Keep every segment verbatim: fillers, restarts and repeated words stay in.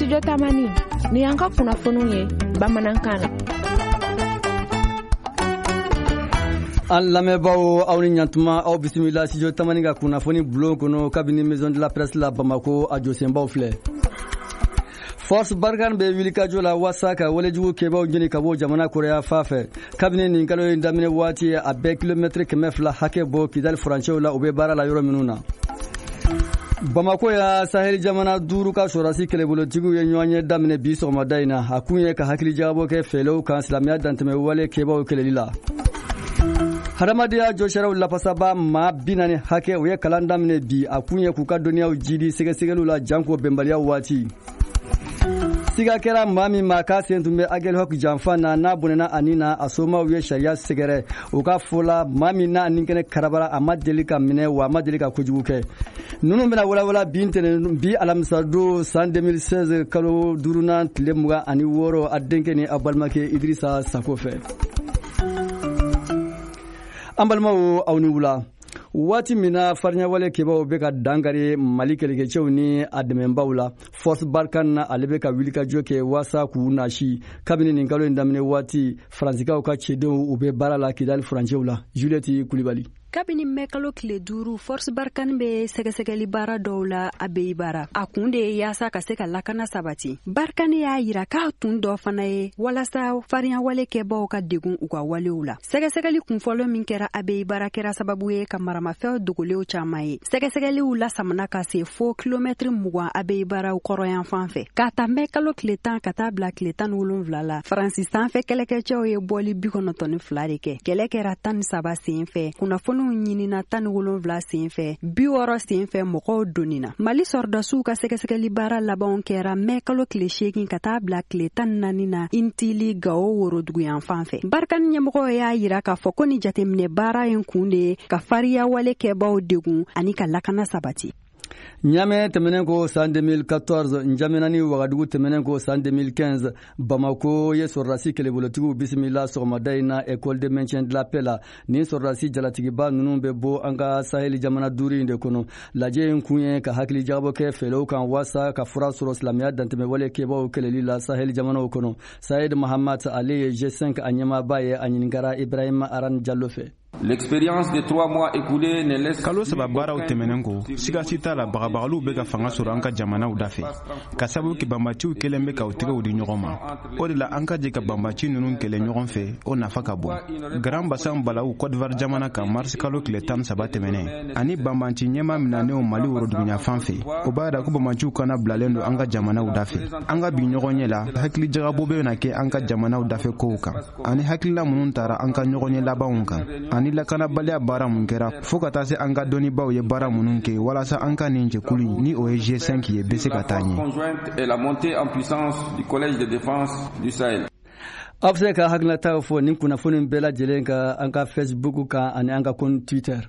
Studio Tamani, ni y'an ka kunnafoniw ye bamanankan na. An lamɛnbaaw, aw ni ɲantuma, aw bisimila Studio Tamani ka kunnafoni bulon kɔnɔ kabini Maison de la Presse la Bamako. A jɔsenbaw filɛ: Force Barkhane bɛ wulikajɔ la waasa ka walejugu kɛbaw ɲini ka bɔ jamana kɔrɔya fan fɛ. Kabini nin kalo in daminɛ waati, a bɛ kilomɛtiri kɛmɛ fila hakɛ bɔ Kidali furancɛw la, u bɛ baara la yɔrɔ minnu na. Bamako ya, Sahel jamana duuru ka sɔrɔdasi kɛlɛbolotigiw ye ɲɔgɔn ye daminɛ bi sɔgɔmada in na. A kun ye ka hakili jagabɔ kɛ fɛɛrɛw kan silamɛya dantɛmɛ wale kɛbaw kɛlɛli la. Hadamadenya jɔsariyaw lafasaba maa bi naani hakɛ, u ye kalan daminɛ bi. A kun ye k'u ka dɔnniyaw jidi sɛgɛsɛgɛliw la janko bɛnbaliya waati. Siga kɛra maa min ma k'a sen tun bɛ Aguelhok janfa na, n'a bɔnɛna ani na, a somaw ye sariya sɛgɛrɛ. U ka fɔ la, maa min n'a ni kɛnɛ karabara, a ma deli ka minɛ, wa a ma deli ka kojugu kɛ. Ninnu bɛna walawala bi ntɛnɛn, bi alamisadon, san deux mille seize kalo duurunan tile mugan ani wɔɔrɔ, a denkɛ ni a balimakɛ Idirisa Sako fɛ. An balimaw, aw ni wula. Waati min na fariɲawale kɛbaw bɛ ka dankari Mali kɛlɛkɛcɛw ni a dɛmɛbaw la, Force Barkhane na, ale bɛ ka wulikajɔ kɛ waasa k'u nasi. Kabini nin kalo in daminɛ waati, Faransikaw ka cɛdenw, u bɛ baara la Kidali furancɛw la. Juliette Kulibali. Kabini mɛkalo tile duuru, Force Barkhane bɛ sɛgɛsɛgɛli baara dɔw la Abeibara. A kun de ye yaasa ka se ka lakana sabati. Barkhane y'a yira k'a tun dɔ fana ye walasa fariɲawale kɛbaw ka degun u ka walew la. Sɛgɛsɛgɛli kunfɔlɔ min kɛra Abeibara kɛra sababu ye ka maramafɛnw dogolenw caaman ye. Sɛgɛsɛgɛliw lasamana ka se fo kilomɛtiri mugan Abeibara kɔrɔyan fan fɛ. K'a ta mɛkalo tile tan ka taa bila tile tan ni wolonfila la, Faransi sanfɛ kɛlɛkɛcɛw ye bɔli bi kɔnɔntɔn ni fila de kɛ. Kɛlɛ kɛra tan ni saba sen fɛ, kunnafoniw ɲinina tan ni wolonfila sen fɛ, bi wɔɔrɔ sen fɛ mɔgɔw donnina. Mali sɔrɔdasiw ka sɛgɛsɛgɛli baara labanw kɛra mɛ kalo tile seegin ka taa bila tile tan ni naani na Intili, Gawo woroduguyan fan fɛ. Barkhane ɲɛmɔgɔw y'a yira k'a fɔ ko ni jateminɛ baara in kun de ye ka fariya wale kɛbaw degun ani ka lakana sabati. Ɲamɛ tɛmɛnen ko san deux mille quatorze, Njamena ni Wagadugu tɛmɛnen ko san deux mille quinze, Bamako ye sɔrɔdasi kɛlɛbolotigiw bisimila sɔgɔmada in na École de maintien de la paix la. Nin sɔrɔdasi jalatigiba ninnu bɛ bɔ an ka Saheli jamana duuru in de kɔnɔ. Lajɛ in kun ye ka hakili jagabɔ kɛ fɛɛrɛw kan waasa ka fura sɔrɔ silamɛya dantɛmɛwale kɛbaw kɛlɛli la Saheli jamanaw kɔnɔ. Sayed Mahamad, ale ye G cinq a ɲɛmaaba ye. A ɲininkara Ibrahima Aran Jalo fɛ. L'expérience des trois mois écoulés ne laisse Kalo saba baaraw tɛmɛnen kɔ, sigasi t'a la, bagabagaliw bɛ ka fanga sɔrɔ an ka jamanaw dafɛ, ka sababu kɛ banbaciw kɛlen bɛ k'u tɛgɛw di ɲɔgɔn ma. O de la, an ka jɛ ka banbaci ninnu kɛlɛ ɲɔgɔn fɛ, o nafa ka bon. Grand Bassam balawu Côte d'Ivoire jamana kan marisi kalo tile tan saba tɛmɛnen, ani banbanci ɲɛma minanenw Mali woroduguɲa fan fɛ, o b'a yira ko banbaciw kana bilalen don an ka jamanaw dafɛ. An ka bi ɲɔgɔn ɲɛ la, hakili jagabɔ bɛ na kɛ an ka jamanaw dafɛ kow kan, ani hakilila minnu tara an ka ɲɔgɔn ɲɛ labanw kan, ani lakanabaliya baara mun kɛra, fɔɔ ka taa se an ka dɔnnibaw ye baara minnu kɛ walasa an ka nin jɛkulu, ni o ye G cinq ye, bɛ se ka taa ɲɛ. Et la montée en puissance du Collège de défense du Sahel. Aw bɛ se ka hakilinataw fɔ nin kunnafoni bɛɛ lajɛlen kan an ka Facebook kan ani an ka compte Twitter.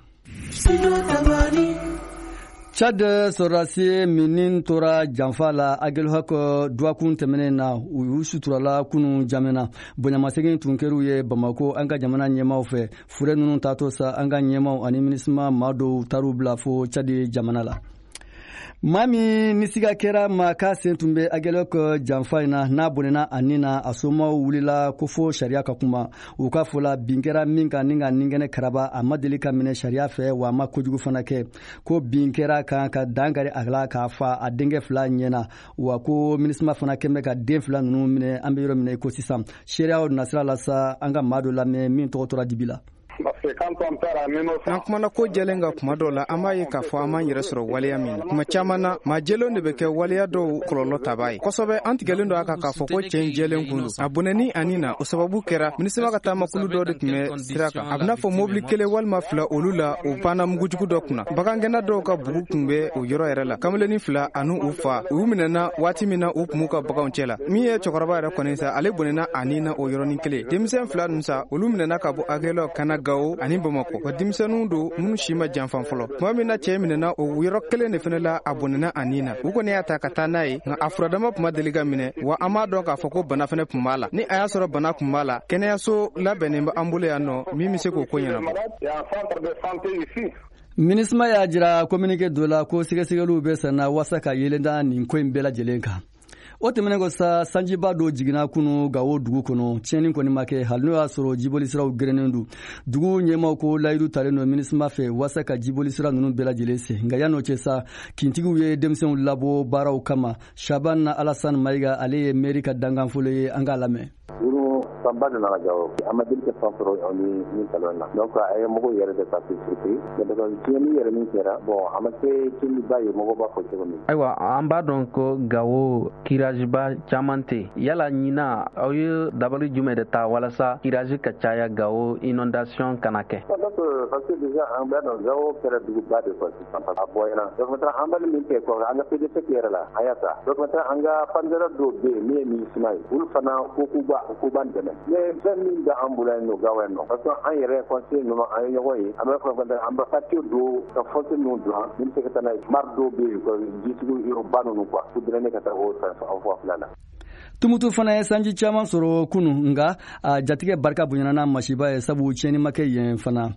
Tchad sɔrɔdasi min tora janfa la Aguelhok dɔgɔkun tɛmɛnen na, u y'u suturala kunu Jamena. Bonyamasegin tun kɛr'u ye Bamako an ka jamana ɲɛmaw fɛ. Fure ninnu taatɔ sa, an ka ɲɛmaw ani MINUSMA maa dɔw taar'u bila fo Tchad jamana la. Maa min ni siga kɛra ma k'a sen tun bɛ Aguelhok janfa in na, n'a bɔnɛna a nin na, a somaw wulila ko fo sariya ka kuma. U ka fɔ la, bin kɛra min kan ni ka nin kɛnɛ karaba, a ma deli ka minɛ sariya fɛ, wa a ma kojugu fana kɛ. Ko bin kɛra kan ka dan kari a la k'a fa a denkɛ fila ɲɛna, wa ko MINUSMA fana kɛn bɛ ka den fila ninnu minɛ an bɛ yɔrɔ min na i ko sisan. Seereyaw nasira la sa, an ka maa dɔ lamɛn min tɔgɔ tora dibi la. N'an kumana ko jɛlen kan kuma dɔw la, an b'a ye k'a fɔ an m'an yɛrɛ sɔrɔ waleya min na. Kuma caman na, maa jɛlenw de bɛ kɛ waleya dɔw kɔlɔlɔ taba ye kosɛbɛ. An tigɛlen don a kan k'a fɔ ko cɛ in jɛlen kun don. A bɔnɛni ani na, o sababu kɛra MINUSMA ka taamakulu dɔ de tun bɛ sira kan, a bɛna fɔ mobili kelen walima fila, olu la o panna mugujugu dɔ kunna. Bagangɛnna dɔw ka bugu tun bɛ o yɔrɔ yɛrɛ la. Kamalennin fila ani u fa, u minɛna waati min na u tun b'u ka baganw cɛ la. Min ye cɛkɔrɔba yɛrɛ kɔni sa, ale bɔnɛna ani na o yɔrɔnin kelen. Denmisɛn fila ninnu sa, olu minɛna ka bɔ Aguelhok ka na Gawo ani Bamakɔ, wa denmisɛnninw don minnu si ma janfan fɔlɔ. Tuma min na cɛɛ minɛna, o yɔrɔ kelen de fɛnɛ la a bɔnɛna a nin na. U kɔni y'a ta ka taa n'a ye, nka a furadama tun ma deli ka minɛ, wa an b'a dɔn k'a fɔ ko bana fɛnɛ tun b'a la. Ni a y'a sɔrɔ bana tun b'a la, kɛnɛyaso labɛnnen bɛ an bolo yan nɔ min bɛ se k'o ko ɲɛnabɔ. MINUSMA y'a jira communiqué dɔ la ko sɛgɛsɛgɛliw bɛ senna waasa ka yelen da nin ko in bɛɛ lajɛlen kan. O tɛmɛnen kɔ sa, sanjiba dɔ jiginna kunu Gawo dugu kɔnɔ. Tiɲɛni kɔni ma kɛ, hali n'o y'a sɔrɔ jibolisiraw gerennen don. Dugu ɲɛmaaw ko layidu talen don MINUSMA fɛ waasa ka jibolisira ninnu bɛɛ lajɛlen sen. Nka yan'o cɛ sa, kintigiw ye denmisɛnw labɔ baaraw kama. Shaban Alassane Mayiga, ale ye mairie ka dankanfolo ye, an k'a lamɛn. Sanba de nana Gawo, a ma deli ka san sɔrɔ ni ni salon na. Donc a ye mɔgɔw yɛrɛ de ta surpris, mais tiɲɛni yɛrɛ min kɛra, bon, a ma kɛ tiɲɛniba ye mɔgɔw b'a fɔ cogo min. Ayiwa, an b'a dɔn ko Gawo curage ba caman tɛ. Yala ɲina aw ye dabali jumɛn de ta walasa curage ka caya Gawo, inondation kana kɛ? Donc parce que déjà an b'a dɔn Gawo kɛra duguba de quoi sisan, a bɔyana. Donc maintenant an bɛ min kɛ quoi, an ka P D C yɛrɛ la, an y'a ta. Donc maintenant an ka partenaire dɔw bɛ yen min ye MINUSMA ye, olu fana ko k'u b'a k'u b'an dɛmɛ. Mais fɛn min bɛ an bolo yan nɔ Gawo yan nɔ, parce que an yɛrɛ conseiller ninnu, an ye ɲɔgɔn ye, an bɛ fɔ an bɛ facture dɔw ka fossé ninnu dilan min bɛ se ka taa n'a ye mare dɔw bɛ yen quoi, jisugu yɔrɔba ninnu quoi, ko drainer ka taa o fan fila la. Tumutu fana ye sanji caman sɔrɔ kunu, nka a jatigɛ barika bonyana n'a masiba ye, sabu tiɲɛni ma kɛ yen fana.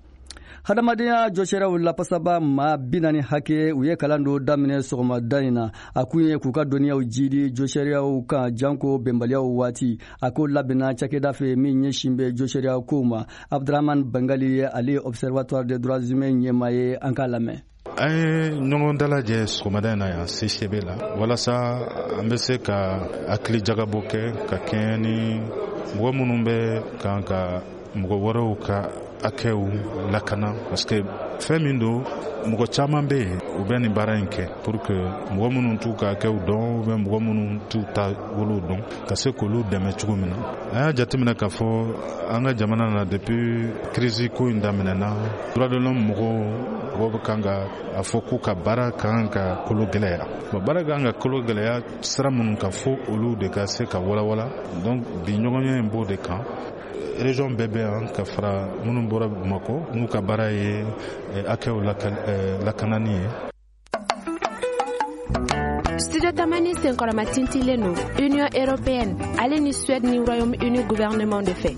Hadamadenya jɔsiraw lapasaba maa bi naani hakɛ, u ye kalan dɔ daminɛ sɔgɔmada in na. A kun ye k'u ka dɔnniyaw jidi jɔsariyaw kan, janko bɛnbaliyaw waati. A ko labɛnna cakɛda fɛ min ɲɛsin bɛ jɔsariya kow ma. Abdurahman Bangali ye, ale ye Observatoire des droits humains ɲɛmaa ye, an k'a lamɛn. An ye ɲɔgɔn dalajɛ sɔgɔmada in na yan C C B la, walasa an bɛ se ka hakili jagabɔ kɛ ka kɛɲɛ ni mɔgɔ minnu bɛ kan ka mɔgɔ wɛrɛw ka hakɛw lakana, parce que fɛn min don, mɔgɔ caman bɛ yen, u bɛ nin baara in kɛ pour que mɔgɔ minnu t'u ka hakɛw dɔn ou bien mɔgɔ minnu t'u taabolow dɔn, ka se k'olu dɛmɛ cogo min na. An y'a jateminɛ k'a fɔ an ka jamana na, depuis crise ko in daminɛna, droit de l'homme mɔgɔw mɔgɔw bɛ kan ka a fɔ k'u ka baara kan ka kolo gɛlɛya. Bon, baara kan ka kolo gɛlɛya sira minnu kan, fo olu de ka se ka walawala. Donc bi ɲɔgɔnye in b'o de kan. Région bɛɛ bɛ yan, ka fara minnu bɔra Bamakɔ, n'u ka baara ye hakɛw lakanani ye. Studio Tamani senkɔrɔma tintilen don Union européenne ale ni Suède ni Royaume-Uni gouvernement de fɛ.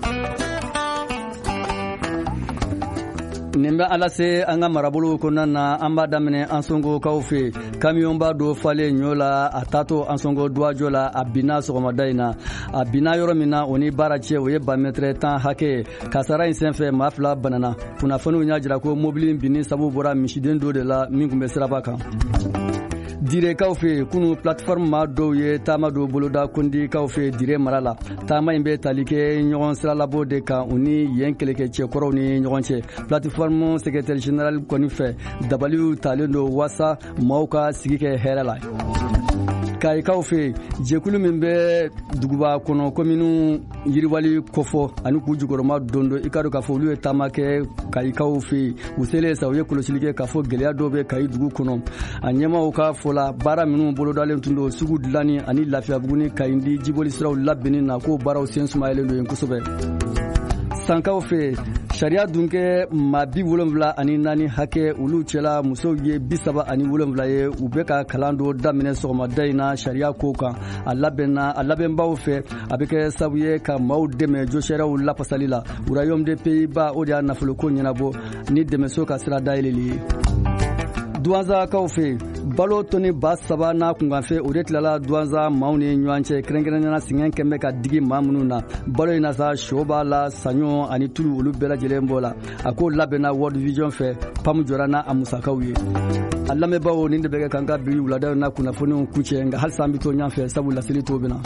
Nin bɛ ala se an ka marabolow kɔnɔna na. An b'a daminɛ Ansongokaw fɛ. Kamiyɔnba dɔ falen ɲɔ la, a taatɔ Ansongo duwajɔ la, a binna sɔgɔmada in na. A binna yɔrɔ min na, o ni baara cɛ, o ye ba mɛtɛrɛ tan hakɛ ye. Kasara in senfɛ, maa fila banana. Kunnafoniw y'a jira ko mobili in binni sababu bɔra misiden dɔ de la min tun bɛ siraba kan. Direkaw fɛ, kunu plateforme maa dɔw ye taama dɔ boloda Kondikaw fɛ Dire mara la. Taama in bɛ tali kɛ ɲɔgɔn siralabɔ de kan u ni yen kɛlɛkɛcɛkɔrɔw ni ɲɔgɔn cɛ. Plateforme secrétaire général kɔni fɛ, dabaliw talen don waasa maaw ka sigi kɛ hɛrɛ la. Kayikaw fɛ, jɛkulu min bɛ duguba kɔnɔ kominiw yiriwali kofɔ ani k'u jukɔrɔma don don, i ka dɔn k'a fɔ olu ye taama kɛ Kayikaw fɛ. U selen sa, u ye kɔlɔsili kɛ k'a fɔ gɛlɛya dɔw bɛ Kayi dugu kɔnɔ. A ɲɛmaaw ka fɔ la, baara minnu bolodalen tun don sugu dilanni ani Lafiyabugu ni Kayindi jiboli siraw labɛnni na, k'o baaraw sen sumayalen don yen kosɛbɛ. Sankaw fɛ, sariya dun kɛ maa bi wolonfila ani naani hakɛ, olu cɛla musow ye bi saba ani wolonfila ye, u bɛ ka kalan dɔ daminɛ sɔgɔmada in na sariya ko kan. A labɛnna a labɛnbaw fɛ, a bɛ kɛ sababu ye ka maaw dɛmɛ josariyaw lafasali la. Royaume des Pays-Bas, o de y'a nafoloko ɲɛnabɔ ni dɛmɛso ka sira dayɛlɛli ye. Duwanzakaw fɛ, balo tɔni ba saba n'a kunkanfɛ, o de tilala Duwanza maaw ni ɲɔgɔn cɛ, kɛrɛnkɛrɛnnenya sɛgɛn kɛn bɛ ka digi maa minnu na. Balo in na sa, sɔ b'a la, saɲɔ ani tulu, olu bɛɛ lajɛlen b'o la. A ko labɛnna World Vision fɛ, PAM jɔra n'a a musakaw ye. A lamɛnbaaw, nin de bɛ kɛ k'an ka bi wulada in na kunnafoniw kuncɛ, nka halisa an bɛ to ɲɔgɔn fɛ, sabu laseli t'o bɛ na.